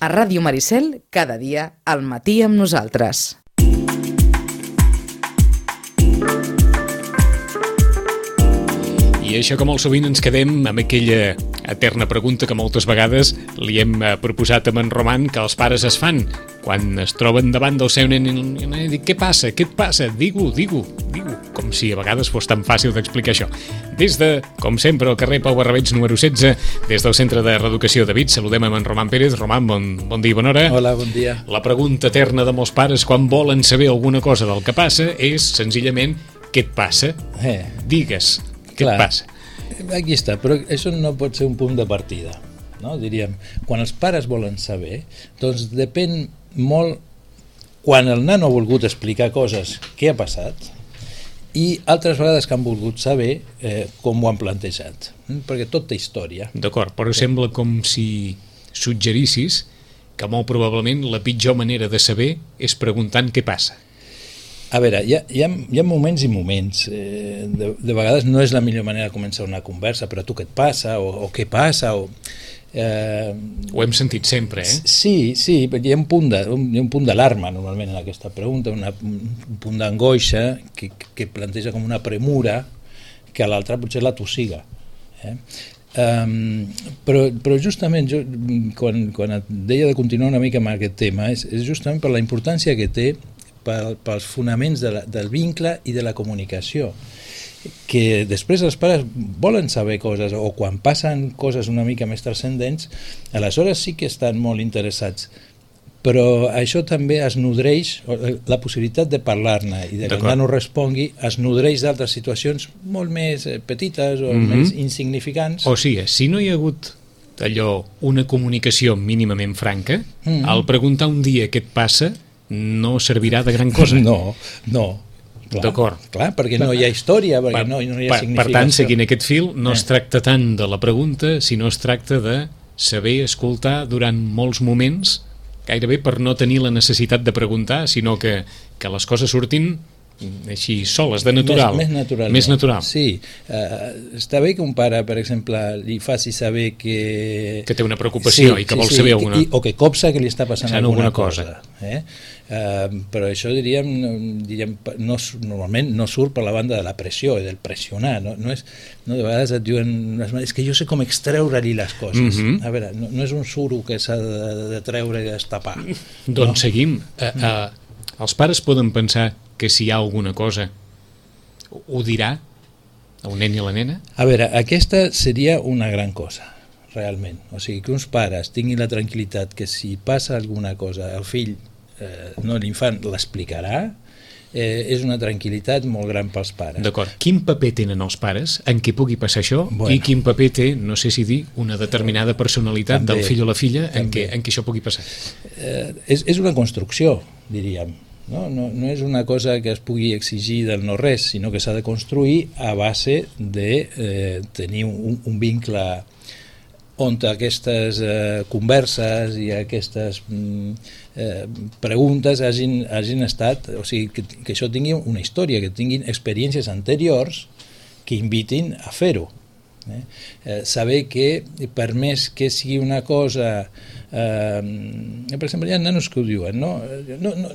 A Ràdio Maricel, cada dia, al matí amb nosaltres. I això que molt sovint ens quedem amb aquella eterna pregunta que moltes vegades li hem proposat a en Roman, que els pares es fan quan es troben davant del seu nen i dic, què passa? Què et passa? Digue-ho, com si a vegades fos tan fàcil d'explicar això. Des de, com sempre, al carrer Pau Barrabeig número 16, des del Centre de Reeducació de Vic, saludem amb en Roman Pérez. Roman, bon dia i bona hora. Hola, bon dia. La pregunta eterna de molts pares quan volen saber alguna cosa del que passa és senzillament què et passa? Digues, què et passa? Aquí està, però això no pot ser un punt de partida, no? Diríem, quan els pares volen saber, doncs depèn molt quan el nano ha volgut explicar coses, què ha passat, i altres vegades que han volgut saber com ho han plantejat, perquè tot té història. D'acord, però sembla com si suggerissis que molt probablement la pitjor manera de saber és preguntant què passa. A veure, hi ha moments i moments. De vegades no és la millor manera de començar una conversa, però tu què et passa, o què passa, o... Ho hem sentit sempre, eh? Sí, hi ha un punt d'alarma normalment en aquesta pregunta, un punt d'angoixa que planteja com una premura que a l'altre potser la tossiga. Però justament quan et deia de continuar una mica amb aquest tema és justament per la importància que té pels fonaments del vincle i de la comunicació, que després els pares volen saber coses, o quan passen coses una mica més transcendents, aleshores sí que estan molt interessats, però això també es nodreix, la possibilitat de parlar-ne i de que el nano respongui es nodreix d'altres situacions molt més petites o més insignificants. O sigui, si no hi ha hagut allò, una comunicació mínimament franca, al preguntar un dia què et passa no servirà de gran cosa. No. D'acord. Clar, perquè no hi ha història, perquè no hi ha significació. Per tant, seguint aquest fil, no es tracta tant de la pregunta, sinó es tracta de saber escoltar durant molts moments, gairebé per no tenir la necessitat de preguntar, sinó que les coses surtin així soles, de natural. Més natural. Sí. Està bé que un pare, per exemple, li faci saber que té una preocupació i que vol saber alguna cosa. O que copsa que li està passant alguna cosa. Però això, diríem, normalment no surt per la banda de la pressió i del pressionar. No, de vegades et diuen, és que jo sé com extreure-li les coses. A veure, no és un suro que s'ha de treure i destapar. Doncs seguim. Els pares poden pensar que si hi ha alguna cosa ho dirà el nen i la nena? A veure, aquesta seria una gran cosa, realment. O sigui, que uns pares tinguin la tranquil·litat que si passa alguna cosa, el fill, l'infant, l'explicarà, és una tranquil·litat molt gran pels pares. D'acord. Quin paper tenen els pares en què pugui passar això i quin paper té, no sé si dir, una determinada personalitat del fill o la filla en què això pugui passar? És una construcció, diríem. No és una cosa que es pugui exigir del no-res, sinó que s'ha de construir a base de tenir un vincle on aquestes converses i aquestes preguntes hagin estat, o sigui, que això tingui una història, que tinguin experiències anteriors que invitin a fer-ho. Saber que per més que sigui una cosa per exemple, hi ha nanos que ho diuen, no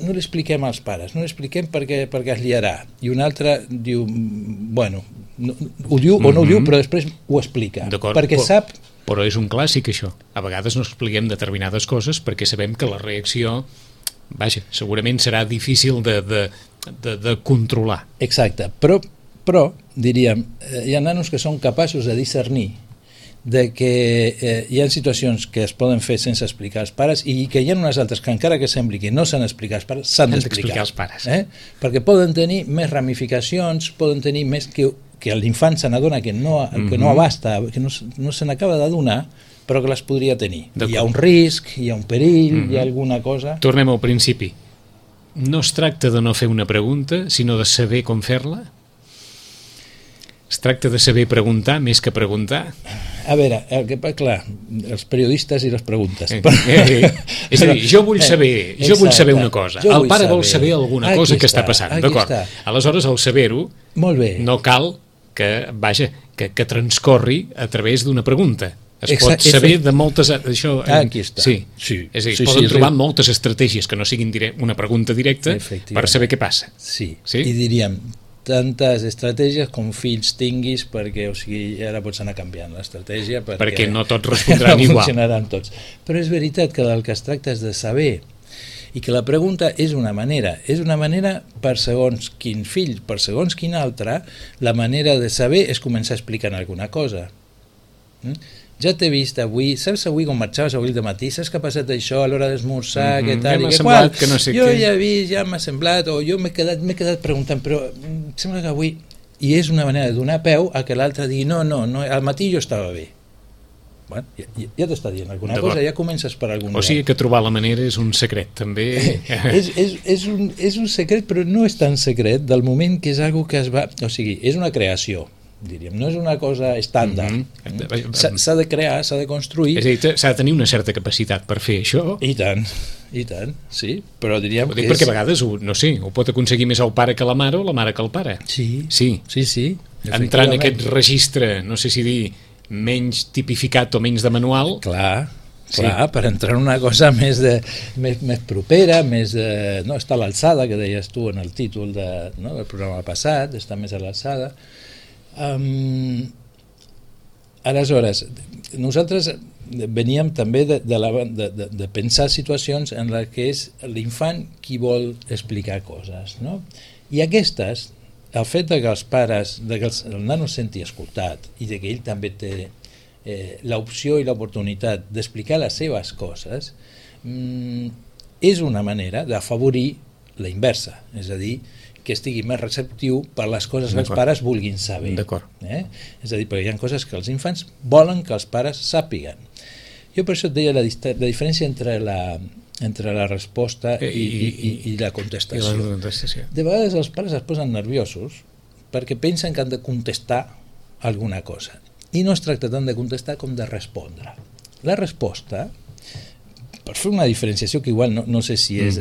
l'expliquem als pares, no l'expliquem perquè es liarà, i un altre diu, bueno, ho diu o no ho diu, però després ho explica, perquè sap. Però és un clàssic, això. A vegades no expliquem determinades coses perquè sabem que la reacció, vaja, segurament serà difícil de controlar. Exacte, però diríem, hi ha nanos que són capaços de discernir de que hi ha situacions que es poden fer sense explicar als pares i que hi ha unes altres que encara que sembli que no s'han d'explicar als pares, s'han d'explicar als pares. Perquè poden tenir més ramificacions, poden tenir més que l'infant se n'adona que no abasta, que no se n'acaba d'adonar, però que les podria tenir. Hi ha un risc, hi ha un perill, hi ha alguna cosa... Tornem al principi. No es tracta de no fer una pregunta, sinó de saber com fer-la? Es tracta de saber preguntar més que preguntar? A veure, clar, els periodistes i les preguntes. És a dir, jo vull saber una cosa. El pare vol saber alguna cosa que està passant, d'acord? Aleshores, al saber-ho, no cal que transcorri a través d'una pregunta. Es pot saber de moltes... Això, aquí està. Sí. És a dir, es poden trobar moltes estratègies que no siguin una pregunta directa per saber què passa. Sí, i diríem tantes estratègies com fills tinguis, perquè ara pots anar canviant l'estratègia perquè no tots respondran igual. No funcionaran tots. Però és veritat que del que es tracta és de saber, i que la pregunta és una manera per segons quin fill, per segons quin altre, la manera de saber és començar explicant alguna cosa. Ja t'he vist avui, saps avui com marxaves avui de matí, saps que ha passat això a l'hora d'esmorzar, què tal i què qual? Jo ja he vist, ja m'ha semblat, o jo m'he quedat preguntant, però em sembla que avui... I és una manera de donar peu a que l'altre digui no, al matí jo estava bé. Bueno, ja t'està dient alguna cosa, ja comences per algun lloc. O sigui que trobar la manera és un secret, també. És un secret, però no és tan secret del moment que és algo que es va... O sigui, és una creació, diríem, no és una cosa estàndard. S'ha de crear, s'ha de construir. És a dir, s'ha de tenir una certa capacitat per fer això. I tant, sí, però diríem que és... Perquè a vegades, no sé, ho pot aconseguir més el pare que la mare o la mare que el pare. Sí. Entrar en aquest registre, no sé si dir, menys tipificat o menys de manual. Clar, per entrar en una cosa més propera, més no està a l'alçada, que deies tu en el títol del programa passat, està més a l'alçada. Aleshores, nosaltres veníem també de pensar situacions en les que és l'infant qui vol explicar coses, no? I aquestes, el fet que els pares, que el nano es senti escoltat i que ell també té l'opció i l'oportunitat d'explicar les seves coses, és una manera d'afavorir la inversa, és a dir, que estigui més receptiu per les coses que els pares vulguin saber. És a dir, perquè hi ha coses que els infants volen que els pares sàpiguen. Jo per això et deia la diferència entre la resposta i la contestació. De vegades els pares es posen nerviosos perquè pensen que han de contestar alguna cosa. I no es tracta tant de contestar com de respondre. La resposta, per fer una diferenciació que igual no sé si és,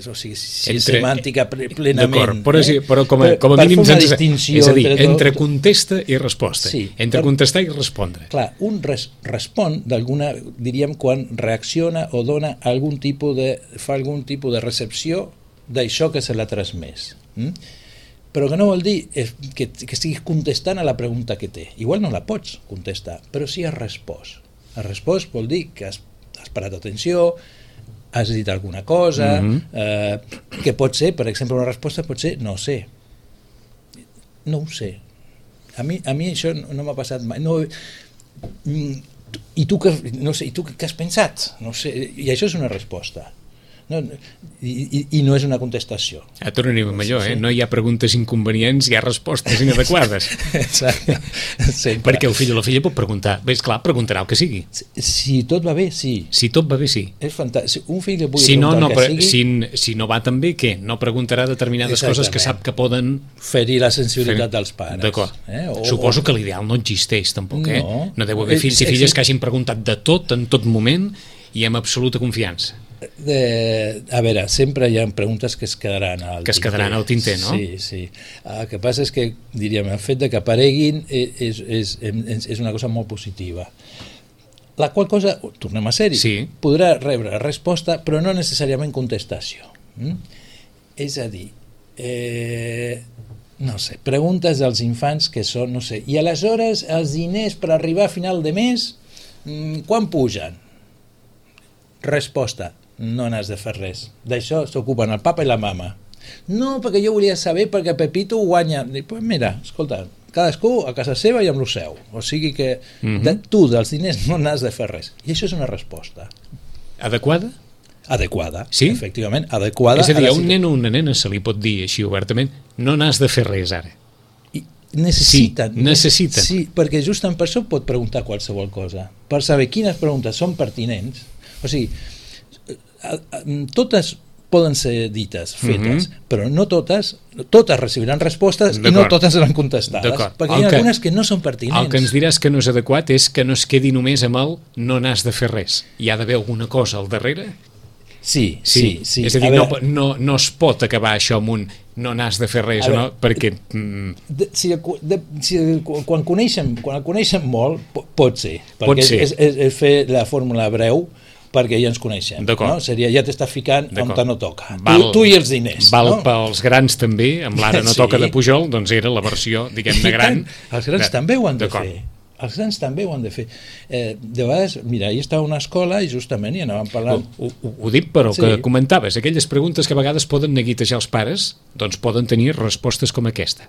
o sigui, si és semàntica plenament. D'acord, però com a mínim és a dir, entre contesta i resposta. Entre contestar i respondre. Clar, un respon d'alguna, diríem, quan reacciona o dona algun tipus fa algun tipus de recepció d'això que se l'ha transmès. Però que no vol dir que estiguis contestant a la pregunta que té. Igual no la pots contestar, però sí has respost. Has respost vol dir que has parat atenció, has dit alguna cosa, que pot ser, per exemple, una resposta pot ser no sé. No ho sé. A mi això no m'ha passat mai. I tu què has pensat? No sé. I això és una resposta. I no és una contestació. Tornem amb allò, no hi ha preguntes inconvenients, hi ha respostes inadequades. Exacte. Perquè el fill o la filla pot preguntar, bé, esclar, preguntarà el que sigui. Si tot va bé, sí. Si tot va bé, sí. És fantàstic. Un fill que pugui preguntar el que sigui... Si no va tan bé, què? No preguntarà determinades coses que sap que poden... ferir la sensibilitat dels pares. D'acord. Suposo que l'ideal no existeix, tampoc, No deu haver fills i filles que hagin preguntat de tot, en tot moment, i amb absoluta confiança. A veure, sempre hi ha preguntes que es quedaran al tinter, no? Sí. El que passa és que, diríem, el fet de que apareguin és una cosa molt positiva. La qual cosa, tornem a ser-hi, podrà rebre resposta, però no necessàriament contestació. És a dir, no sé, preguntes als infants que són, no sé, i aleshores els diners per arribar a final de mes, quan pugen? Resposta, no n'has de fer res. D'això s'ocupen el papa i la mama. No, perquè jo volia saber perquè Pepito guanya. Pues mira, escolta, cadascú a casa seva i amb lo seu. O sigui que tu dels diners no n'has de fer res. I això és una resposta. Adequada? Adequada, sí? Efectivament, adequada. És a dir, a un nen o una nena se li pot dir així obertament, no n'has de fer res ara. Necessiten. Sí, perquè justament per això pot preguntar qualsevol cosa. Per saber quines preguntes són pertinents. O sigui, totes poden ser dites, fetes, però no totes recibiran respostes i no totes seran contestades, perquè hi ha algunes que no són pertinents. El que ens diràs que no és adequat és que no es quedi només amb el no n'has de fer res. Hi ha d'haver alguna cosa al darrere? Sí. És a dir, no es pot acabar això amb un no n'has de fer res, no? Perquè... Quan el coneixen molt, pot ser. Perquè és fer la fórmula breu perquè ja ens coneixem. No? Seria, ja t'estàs ficant on no toca. Tu i els diners. Val pels grans també, amb l'ara no toca de Pujol, doncs era la versió, diguem-ne, gran. Els grans també ho han de fer. Els grans també ho han de fer. De vegades, mira, ahir estava a una escola i justament hi anàvem parlant... Ho dic però que comentaves, aquelles preguntes que a vegades poden neguitejar els pares, doncs poden tenir respostes com aquesta.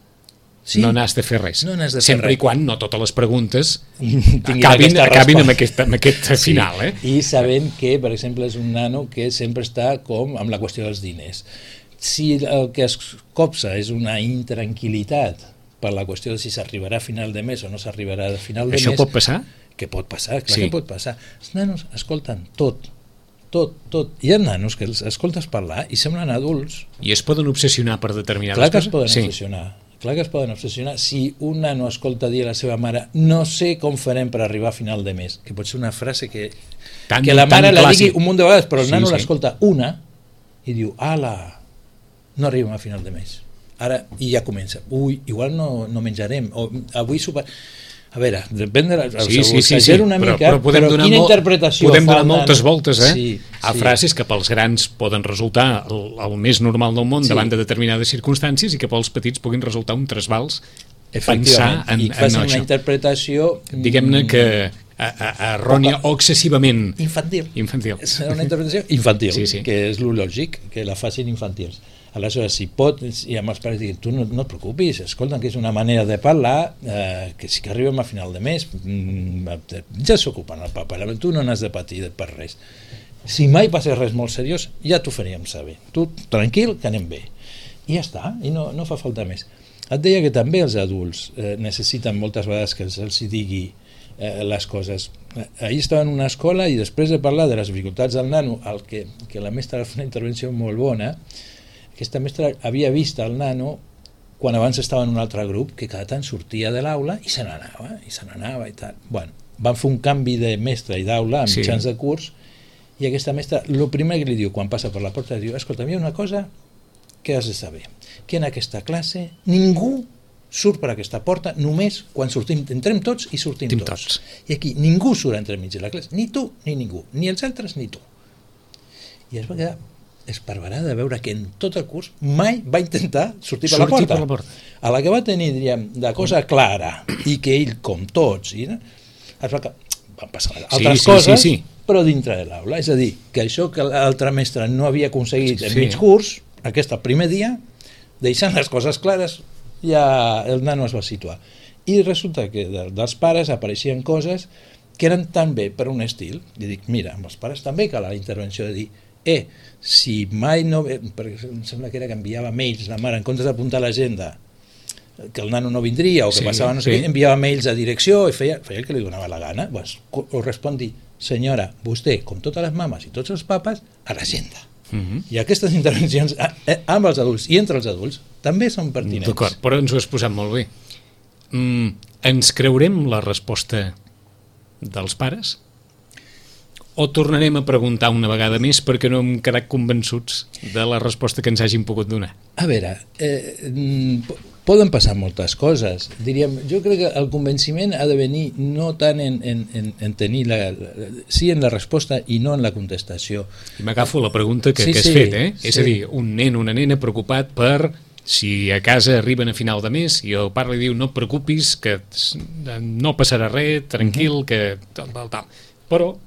No n'has de fer res. Sempre i quan no totes les preguntes acabin amb aquest final. I sabem que, per exemple, és un nano que sempre està com amb la qüestió dels diners. Si el que es copsa és una intranquil·litat per la qüestió de si s'arribarà a final de mes o no s'arribarà a final de mes... Això pot passar? Que pot passar, clar que pot passar. Els nanos escolten tot. Hi ha nanos que els escoltes parlar i semblen adults. I es poden obsessionar per determinades coses? Clar que es poden obsessionar. Si un nano escolta dir a la seva mare no sé com farem per arribar a final de mes, que pot ser una frase que la mare la digui un munt de vegades, però el nano l'escolta una i diu, ala, no arribem a final de mes. Ara, i ja comença, igual no menjarem, o avui sopar... A veure, depèn de exagero una mica, però quina interpretació podem donar moltes voltes a frases que pels grans poden resultar el més normal del món davant de determinades circumstàncies i que pels petits puguin resultar un trasbals pensar en això. I fas una interpretació... Diguem-ne que errònia o excessivament... Infantil. És una interpretació infantil, que és lo lògic, que la facin infantils. Aleshores, si pot, i amb els pares diguin, tu no et preocupis, escolta, que és una manera de parlar, que sí que arribem a final de mes, ja s'ocupen el papa, tu no n'has de patir per res. Si mai passés res molt seriós, ja t'ho faríem saber. Tu, tranquil, que anem bé. I ja està, i no fa falta més. Et deia que també els adults necessiten moltes vegades que els digui les coses. Ahir estava en una escola i després de parlar de les dificultats del nano, que la mestra va fer una intervenció molt bona, aquesta mestra havia vist el nano quan abans estava en un altre grup que cada tant sortia de l'aula i se n'anava i tal. Bueno, van fer un canvi de mestre i d'aula a mitjans de curs i aquesta mestra, el primer que li diu quan passa per la porta, li diu, escolta, hi ha una cosa que has de saber, que en aquesta classe ningú surt per aquesta porta només quan sortim, entrem tots i sortim tots. I aquí ningú surt entremig de la classe, ni tu ni ningú, ni els altres ni tu. I es va quedar esparverada de veure que en tot el curs mai va intentar sortir per la porta. A la que va tenir, diríem, de cosa clara i que ell, com tots, van passar altres coses, però dintre de l'aula. És a dir, que això que l'altre mestre no havia aconseguit en mig curs, aquest primer dia, deixant les coses clares, ja el nano es va situar. I resulta que dels pares apareixien coses que eren també per un estil. I dic, mira, amb els pares també cal la intervenció de dir si mai no... perquè em sembla que era que enviava mails la mare en comptes d'apuntar a l'agenda que el nano no vindria o que passava no sé què, enviava mails a direcció i feia el que li donava la gana. O respondi, senyora, vostè, com totes les mames i tots els papes, a l'agenda. I aquestes intervencions amb els adults i entre els adults també són pertinents. D'acord, però ens ho has posat molt bé. Ens creurem la resposta dels pares? O tornarem a preguntar una vegada més perquè no hem quedat convençuts de la resposta que ens hagin pogut donar? A veure, poden passar moltes coses. Diríem, jo crec que el convenciment ha de venir no tant en tenir sí en la resposta i no en la contestació. I m'agafo la pregunta que has fet, És a dir, un nen o una nena preocupat per si a casa arriben a final de mes i el pare li diu no et preocupis, que no passarà res, tranquil, que tal. Però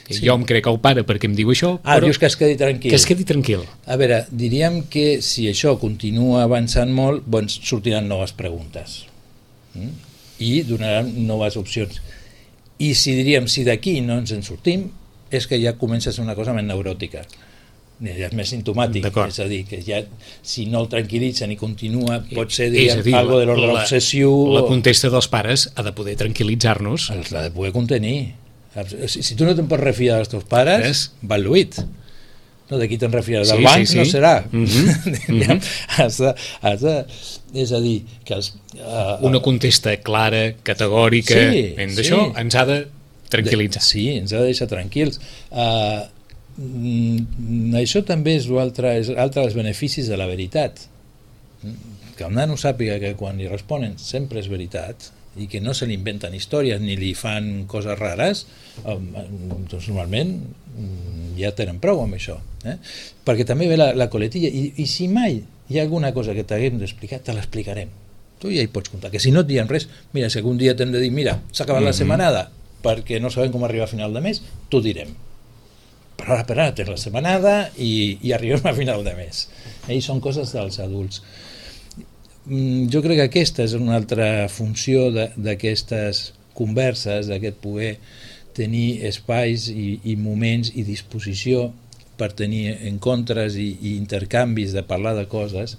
jo em crec el pare perquè em diu això, però... dius que es quedi tranquil. Que es quedi tranquil. A veure, diríem que si això continua avançant molt, doncs sortiran noves preguntes i donaran noves opcions. I si d'aquí no ens en sortim, és que ja comença a ser una cosa més neuròtica. Ja és més simptomàtic, és a dir, que ja si no el tranquil·litzen i continua, pot ser, algo de l'ordre obsessiu... La contesta dels pares ha de poder tranquil·litzar-nos. L'ha de poder contenir. Si tu no te'n pots refiar dels teus pares, va lluït. D'aquí te'n refies del banc, no serà. És a dir, que una contesta clara, categòrica, d'això ens ha de tranquil·litzar. Sí, ens ha de deixar tranquils. Això també és altre dels beneficis de la veritat. Que el nano sàpiga que quan li responen sempre és veritat i que no se li inventen històries ni li fan coses rares, doncs normalment ja tenen prou amb això. Perquè també ve la coletilla i si mai hi ha alguna cosa que t'haguem d'explicar, te l'explicarem. Tu ja hi pots comptar, que si no et diem res, mira, si algun dia t'hem de dir, mira, s'ha acabat la setmanada perquè no sabem com arribar a final de mes, t'ho direm. Però ara per ara tens la setmanada i arribem a final de mes. I són coses dels adults. Jo crec que aquesta és una altra funció d'aquestes converses, d'aquest poder tenir espais i moments i disposició per tenir encontres i intercanvis de parlar de coses,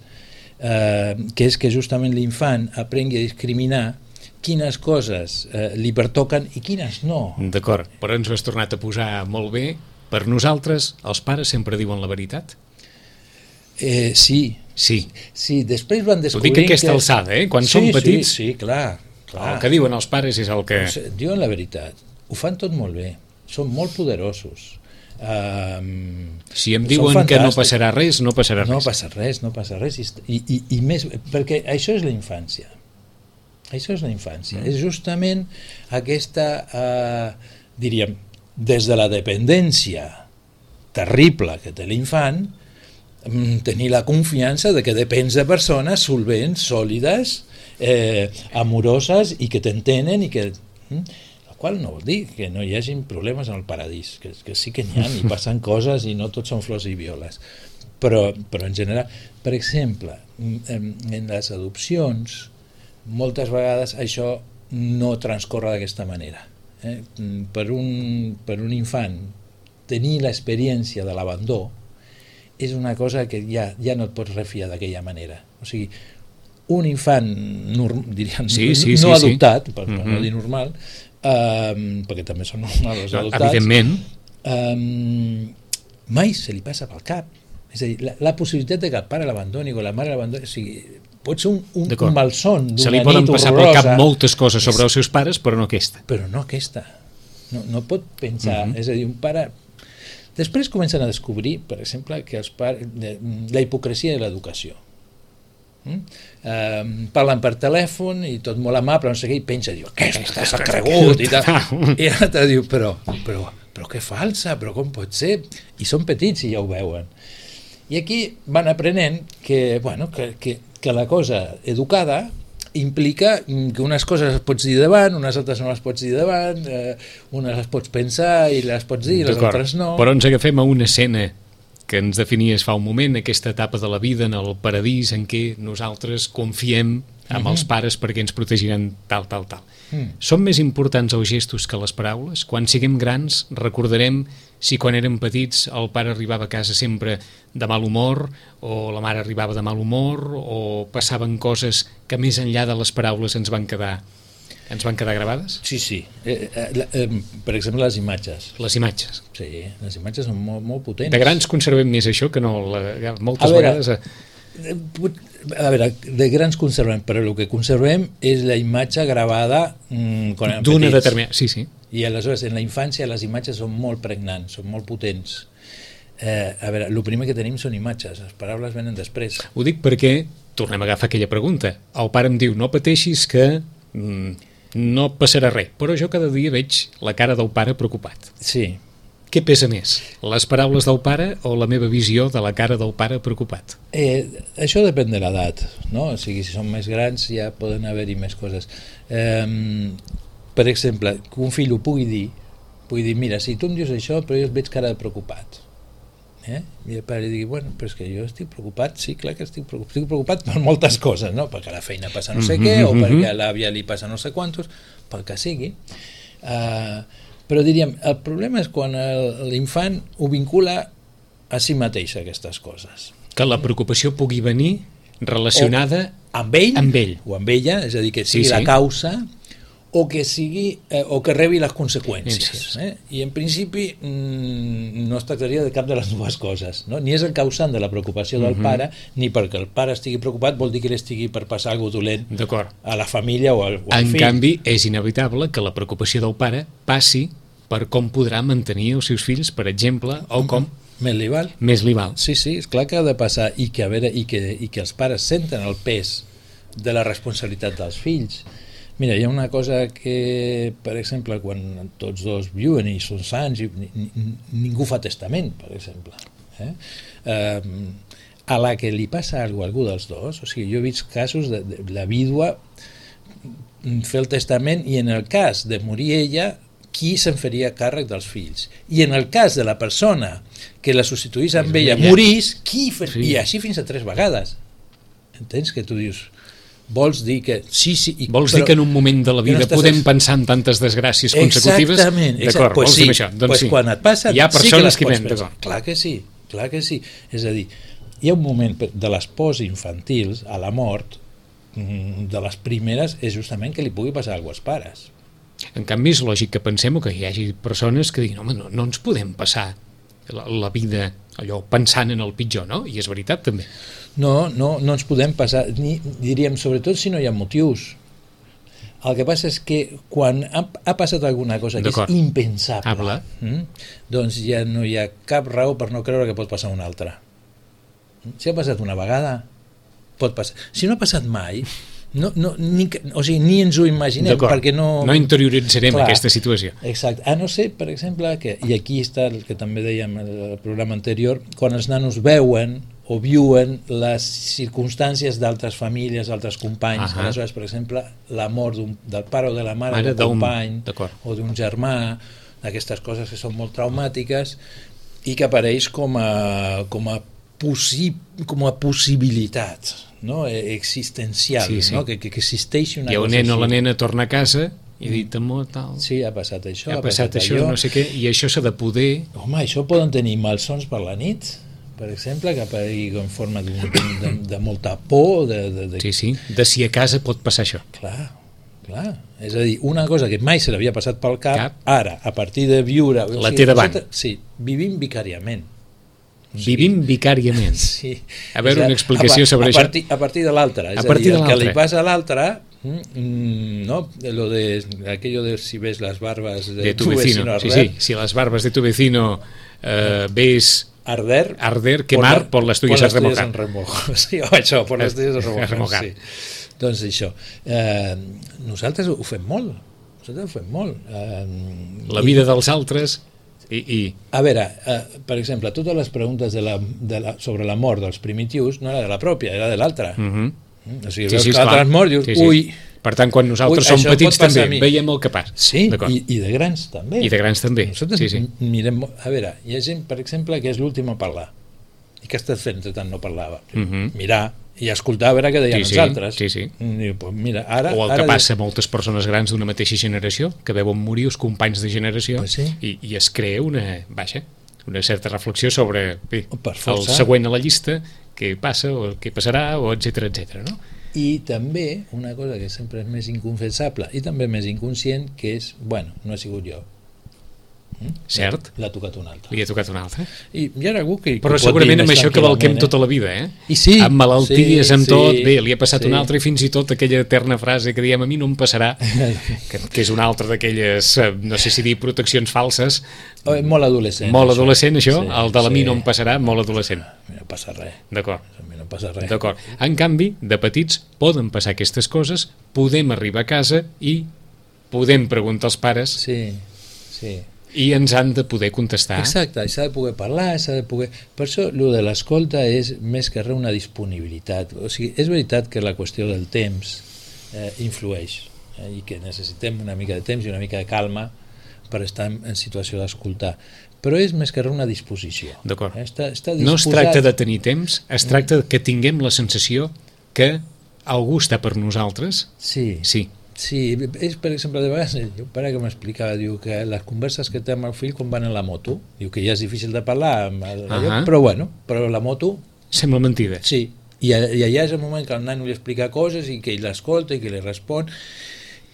que és que justament l'infant aprengui a discriminar quines coses li pertoquen i quines no. D'acord, però ens ho has tornat a posar molt bé. Per nosaltres, els pares sempre diuen la veritat? Sí, després van descobrir... Ho dic a aquesta alçada, quan som petits... Sí, clar. El que diuen els pares és el que... Diuen la veritat, ho fan tot molt bé, són molt poderosos. Si em diuen que no passarà res, no passarà res. No passa res. I més, perquè això és la infància. És justament aquesta, diríem, des de la dependència terrible que té l'infant, tenir la confiança de que depens de persones solvents, sòlides, amoroses i que t'entenen i que... El qual no vol dir que no hi hagin problemes en el paradís, que sí que n'hi ha i passen coses i no tots són flors i violes. Però en general, per exemple, en les adopcions, moltes vegades això no transcorre d'aquesta manera. Per un infant tenir l'experiència de l'abandó és una cosa que ja no et pots refiar d'aquella manera. O sigui, un infant diríem, no adoptat, per no dir normal, perquè també són normals els adoptats, evidentment, mai se li passa pel cap. És a dir, la possibilitat de que el pare l'abandoni o la mare l'abandoni, o sigui, pot ser un malson d'una nit horrorosa. Se li poden passar pel cap moltes coses sobre els seus pares, però no aquesta. No pot pensar, és a dir, un pare... Després comencen a descobrir, per exemple, que els pares, la hipocresia de l'educació. Parlen per telèfon i tot molt amable, no sé què, i pensa, diu, aquesta s'ha cregut, i tal. I l'altre diu, però que falsa, però com pot ser? I són petits i ja ho veuen. I aquí van aprenent que la cosa educada implica que unes coses les pots dir davant, unes altres no les pots dir davant, unes les pots pensar i les pots dir, les altres no. Però ens agafem a una escena que ens definies fa un moment, aquesta etapa de la vida en el paradís en què nosaltres confiem en els pares perquè ens protegiran tal. Són més importants els gestos que les paraules? Quan siguem grans recordarem si quan érem petits el pare arribava a casa sempre de mal humor o la mare arribava de mal humor o passaven coses que més enllà de les paraules ens van quedar gravades? Sí. Per exemple, les imatges. Les imatges. Sí, les imatges són molt potents. De grans conservem més això que no moltes vegades... A veure, de grans conservem, però el que conservem és la imatge gravada quan érem d'una petits. Determinada... Sí. I aleshores, en la infància, les imatges són molt pregnants, són molt potents. A veure, el primer que tenim són imatges, les paraules venen després. Ho dic perquè, tornem a agafar aquella pregunta, el pare em diu, no pateixis que no passarà res, però jo cada dia veig la cara del pare preocupat. Sí. Què pesa més, les paraules del pare o la meva visió de la cara del pare preocupat? Això depèn de l'edat, no? O sigui, si són més grans ja poden haver-hi més coses. Per exemple, que un fill ho pugui dir, mira, si tu em dius això, però jo et veig cara de preocupat. I el pare li digui, bueno, però és que jo estic preocupat, sí, clar que estic preocupat per moltes coses, no? Perquè a la feina passa no sé què, o perquè a l'àvia li passa no sé quantos, pel que sigui. Però diríem, el problema és quan l'infant ho vincula a si mateix, aquestes coses. Que la preocupació pugui venir relacionada amb ell o amb ella, és a dir, que sigui la causa o que rebi les conseqüències. I en principi no es tractaria de cap de les dues coses, no? Ni és el causant de la preocupació del pare, ni perquè el pare estigui preocupat vol dir que ell estigui per passar alguna cosa dolent a la família o al fill. En canvi, és inevitable que la preocupació del pare passi per com podrà mantenir els seus fills, per exemple, o com Més li val. més li val. Sí, és clar que ha de passar i que, a veure, i que els pares senten el pes de la responsabilitat dels fills. Mira, hi ha una cosa que, per exemple, quan tots dos viuen i són sants, ningú fa testament, per exemple. A la que li passa alguna cosa a algú dels dos, o sigui, jo he vist casos de la vídua fer el testament i en el cas de morir ella, qui se'n faria càrrec dels fills. I en el cas de la persona que la substituís amb ella morís, qui sí. I així fins a 3 vegades. Entens que tu dius... Vols dir que... Sí, vols dir que en un moment de la vida podem pensar en tantes desgràcies consecutives? Exactament. D'acord, pues vols dir això? Doncs sí. Quan et passa, hi ha persones sí que les pots pensar. Clar que sí. És a dir, hi ha un moment de les pors infantils a la mort, de les primeres, és justament que li pugui passar alguna cosa als pares. En canvi, és lògic que pensem que hi hagi persones que diguin, home, no ens podem passar la vida allò pensant en el pitjor, no? I és veritat, també. No ens podem passar, diríem, sobretot si no hi ha motius. El que passa és que quan ha passat alguna cosa que és impensable, doncs ja no hi ha cap raó per no creure que pot passar una altra. Si ha passat una vegada, pot passar. Si no ha passat mai, ni ens ho imaginem, perquè no interioritzarem aquesta situació. Exacte, a no ser, per exemple, i aquí està el que també dèiem al programa anterior, quan els nanos veuen o viuen les circumstàncies d'altres famílies, d'altres companys. Aleshores, per exemple, la mort del pare o de la mare d'un company o d'un germà, d'aquestes coses que són molt traumàtiques i que apareix com a possibilitat, no? Existencial, no? Que existeixi una cosa així. I el nen o la nena torna a casa i ha dit, amor, tal... Sí, ha passat això, ha passat això, no sé què, i això s'ha de poder... Home, això poden tenir malsons per la nit, per exemple, que aparegui en forma de molta por... Sí, de si a casa pot passar això. Clar. És a dir, una cosa que mai se l'havia passat pel cap, ara, a partir de viure... La té davant. Sí, vivim vicàriament. Vivim vicàriament. Sí. A veure, una explicació sobre això. A partir de l'altre. És a dir, el que li passa a l'altre, no? Aquello de si ves las barbas de tu vecino arder. Sí, si las barbas de tu vecino ves... Arder, quemar, por las tuyas en remojar. Sí, això, por les tuyas en remojar. Sí. Doncs això. Nosaltres ho fem molt. La vida dels altres... A veure, per exemple, totes les preguntes sobre la mort dels primitius no era de la pròpia, era de l'altra. O sigui, veus que l'altre has mort, dius, ui... Per tant, quan nosaltres som petits també veiem el que passa. Sí, i de grans també. I de grans també. Nosaltres mirem... A veure, hi ha gent, per exemple, que és l'últim a parlar i que està fent tant no parlava. Mirar i escoltar a veure què deien els altres. Mira, ara, o el que passa a moltes persones grans d'una mateixa generació, que veuen morir els companys de generació i es crea una certa reflexió sobre el següent a la llista, què passa o què passarà, o etcètera, no? I també una cosa que sempre és més inconfessable i també més inconscient, que és, bueno, no ha sigut jo. Cert. L'ha tocat un altre. Li ha tocat un altre. I hi ha algú que però segurament amb això que valquem tota la vida, I sí, amb malalties, amb tot, bé, li ha passat un altre, i fins i tot aquella eterna frase que diem, a mi no em passarà, que és una altra d'aquelles, no sé si dir proteccions falses. Molt adolescent. Molt adolescent, això, el de la mi no em passarà, molt adolescent. A mi no passa res. D'acord. A mi no passa res. D'acord. En canvi, de petits poden passar aquestes coses, podem arribar a casa i podem preguntar als pares. Sí. I ens han de poder contestar. Exacte, s'ha de poder parlar, Per això, el de l'escolta és més que res una disponibilitat. O sigui, és veritat que la qüestió del temps influeix i que necessitem una mica de temps i una mica de calma per estar en situació d'escoltar. Però és més que res una disposició. D'acord. Està no es tracta de tenir temps, es tracta que tinguem la sensació que algú està per nosaltres. Sí, és, per exemple, de vegades, el pare que m'explicava, diu que les converses que té amb el fill quan van en la moto, diu que ja és difícil de parlar, però la moto... Sembla mentida. Sí, i allà és el moment que el nano li explica coses i que ell l'escolta i que li respon,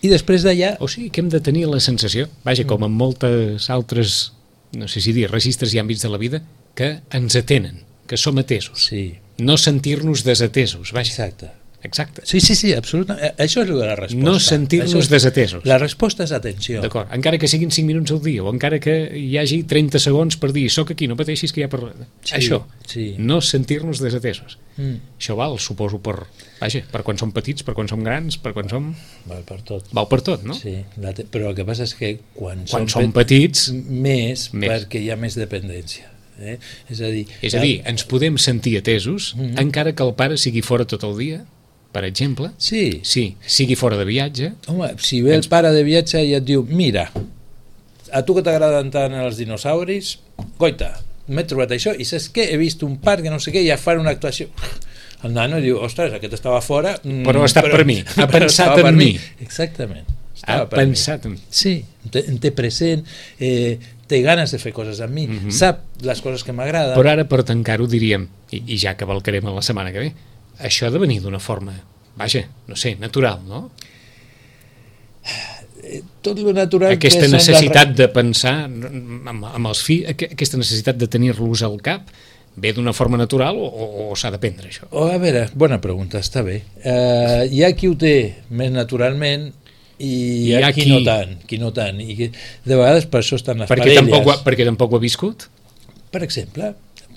i després d'allà... O sigui, que hem de tenir la sensació, com en moltes altres, no sé si dir, registres i àmbits de la vida, que ens atenen, que som atesos. Sí. No sentir-nos desatesos, Exacte. exacte. Sí, absolutament. Això és el de la resposta. No sentir-nos desatesos. La resposta és atenció. D'acord, encara que siguin 5 minuts al dia o encara que hi hagi 30 segons per dir soc aquí, no pateixis que ja parlaré. Això, no sentir-nos desatesos. Això val, suposo, per quan som petits, per quan som grans, per quan som... Val per tot. Val per tot, no? Sí, però el que passa és que quan som petits... Més, perquè hi ha més dependència. És a dir, ens podem sentir atesos encara que el pare sigui fora tot el dia, per exemple. Sí, sigui fora de viatge. Home, si ve el pare de viatge i et diu, mira, a tu que t'agraden tant els dinosauris, goita, m'he trobat això, i saps què? He vist un parc, no sé què, i ja fan una actuació. El nano diu, ostres, aquest estava fora... Però ha estat per mi, ha pensat en mi. Exactament. Ha pensat en mi. Sí, em té present, té ganes de fer coses amb mi, sap les coses que m'agraden. Però ara, per tancar-ho, diríem, i ja cavalcarem la setmana que ve, això ha de venir d'una forma, no sé, natural, no? Tot lo natural aquesta necessitat de pensar amb els fills, aquesta necessitat de tenir-los al cap, ve d'una forma natural o s'ha d'aprendre això? A veure, bona pregunta, està bé. Hi ha qui ho té més naturalment i hi ha qui no tant. I de vegades per això estan les parelles. Perquè tampoc ho ha viscut? Per exemple,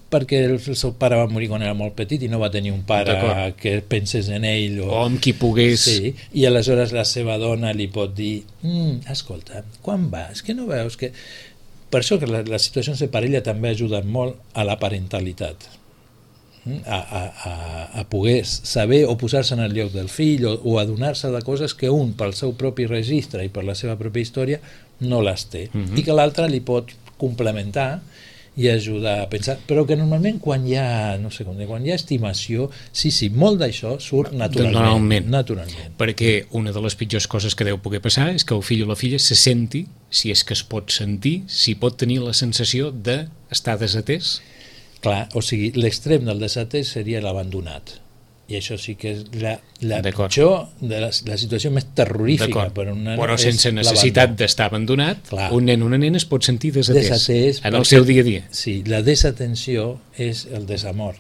perquè el seu pare va morir quan era molt petit i no va tenir un pare que pensés en ell o amb qui pogués... Sí, i aleshores la seva dona li pot dir escolta, quan vas? Que no veus que... Per això que les situacions de parella també ajuden molt a la parentalitat, a poder saber o posar-se en el lloc del fill o adonar-se de coses que un pel seu propi registre i per la seva pròpia història no les té i que l'altre li pot complementar i ajudar a pensar, però que normalment quan hi ha, quan hi ha estimació, molt d'això surt naturalment. Perquè una de les pitjors coses que deu poder passar és que el fill o la filla se senti, si és que es pot sentir, si pot tenir la sensació d'estar desatès. Clar, o sigui, l'extrem del desatès seria l'abandonat. I això sí que és la pitjor, la situació més terrorífica per un nen. Però sense necessitat d'estar abandonat, un nen o una nena es pot sentir desatès en el seu dia a dia. Sí, la desatenció és el desamor.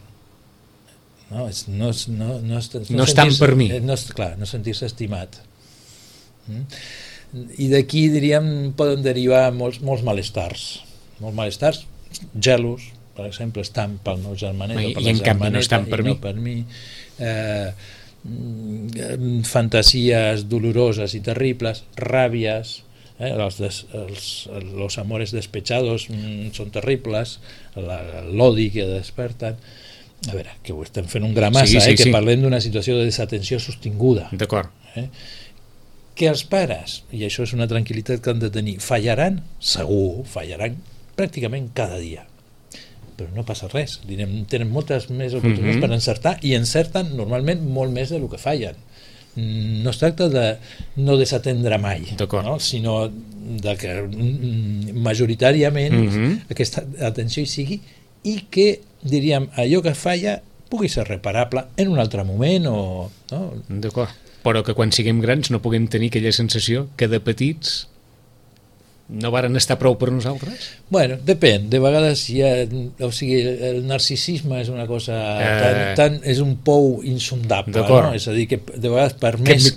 No estan per mi. Clar, no sentir-se estimat. I d'aquí, diríem, poden derivar molts malestars. Molts malestars, gelos, per exemple, estan pel meu germanet o per la germaneta, no estan per mi. Fantasies doloroses i terribles, ràbies, los amores despechados són terribles, l'odi que desperten. A veure, que ho estem fent un gramassa, que parlem d'una situació de desatenció sostinguda. D'acord. Que els pares, i això és una tranquil·litat que han de tenir, fallaran, segur, fallaran pràcticament cada dia, però no passa res, tenen moltes més oportunitats per encertar i encerten normalment molt més del que fallen. No es tracta de no desatendre mai, sinó de que majoritàriament aquesta atenció hi sigui i que, diríem, allò que falla pugui ser reparable en un altre moment D'acord, però que quan siguem grans no puguem tenir aquella sensació que de petits no varen estar prou per nosaltres? Bueno, depèn, de vegades o sigui, el narcisisme és una cosa és un pou insondable, no? És a dir, que de vegades per més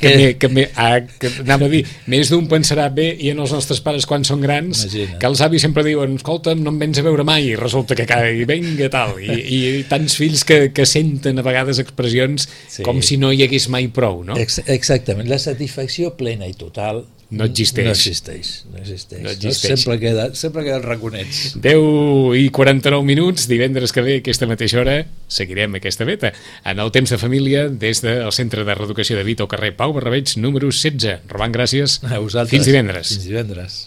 anava a dir, més d'un pensarà bé i en els nostres pares quan són grans, que els avis sempre diuen, escolta'm, no em vens a veure mai, i resulta que vinga tal, i tants fills que senten a vegades expressions com si no hi hagués mai prou, no? Exactament, la satisfacció plena i total no existeix. Sempre queda el raconets. 10:49 minuts, divendres que ve, aquesta mateixa hora, seguirem aquesta beta. En el temps de família, des del Centre de Reeducació de Vita, al carrer Pau Barrabeig, número 16. Roman, gràcies. A vosaltres. Fins divendres. Fins divendres.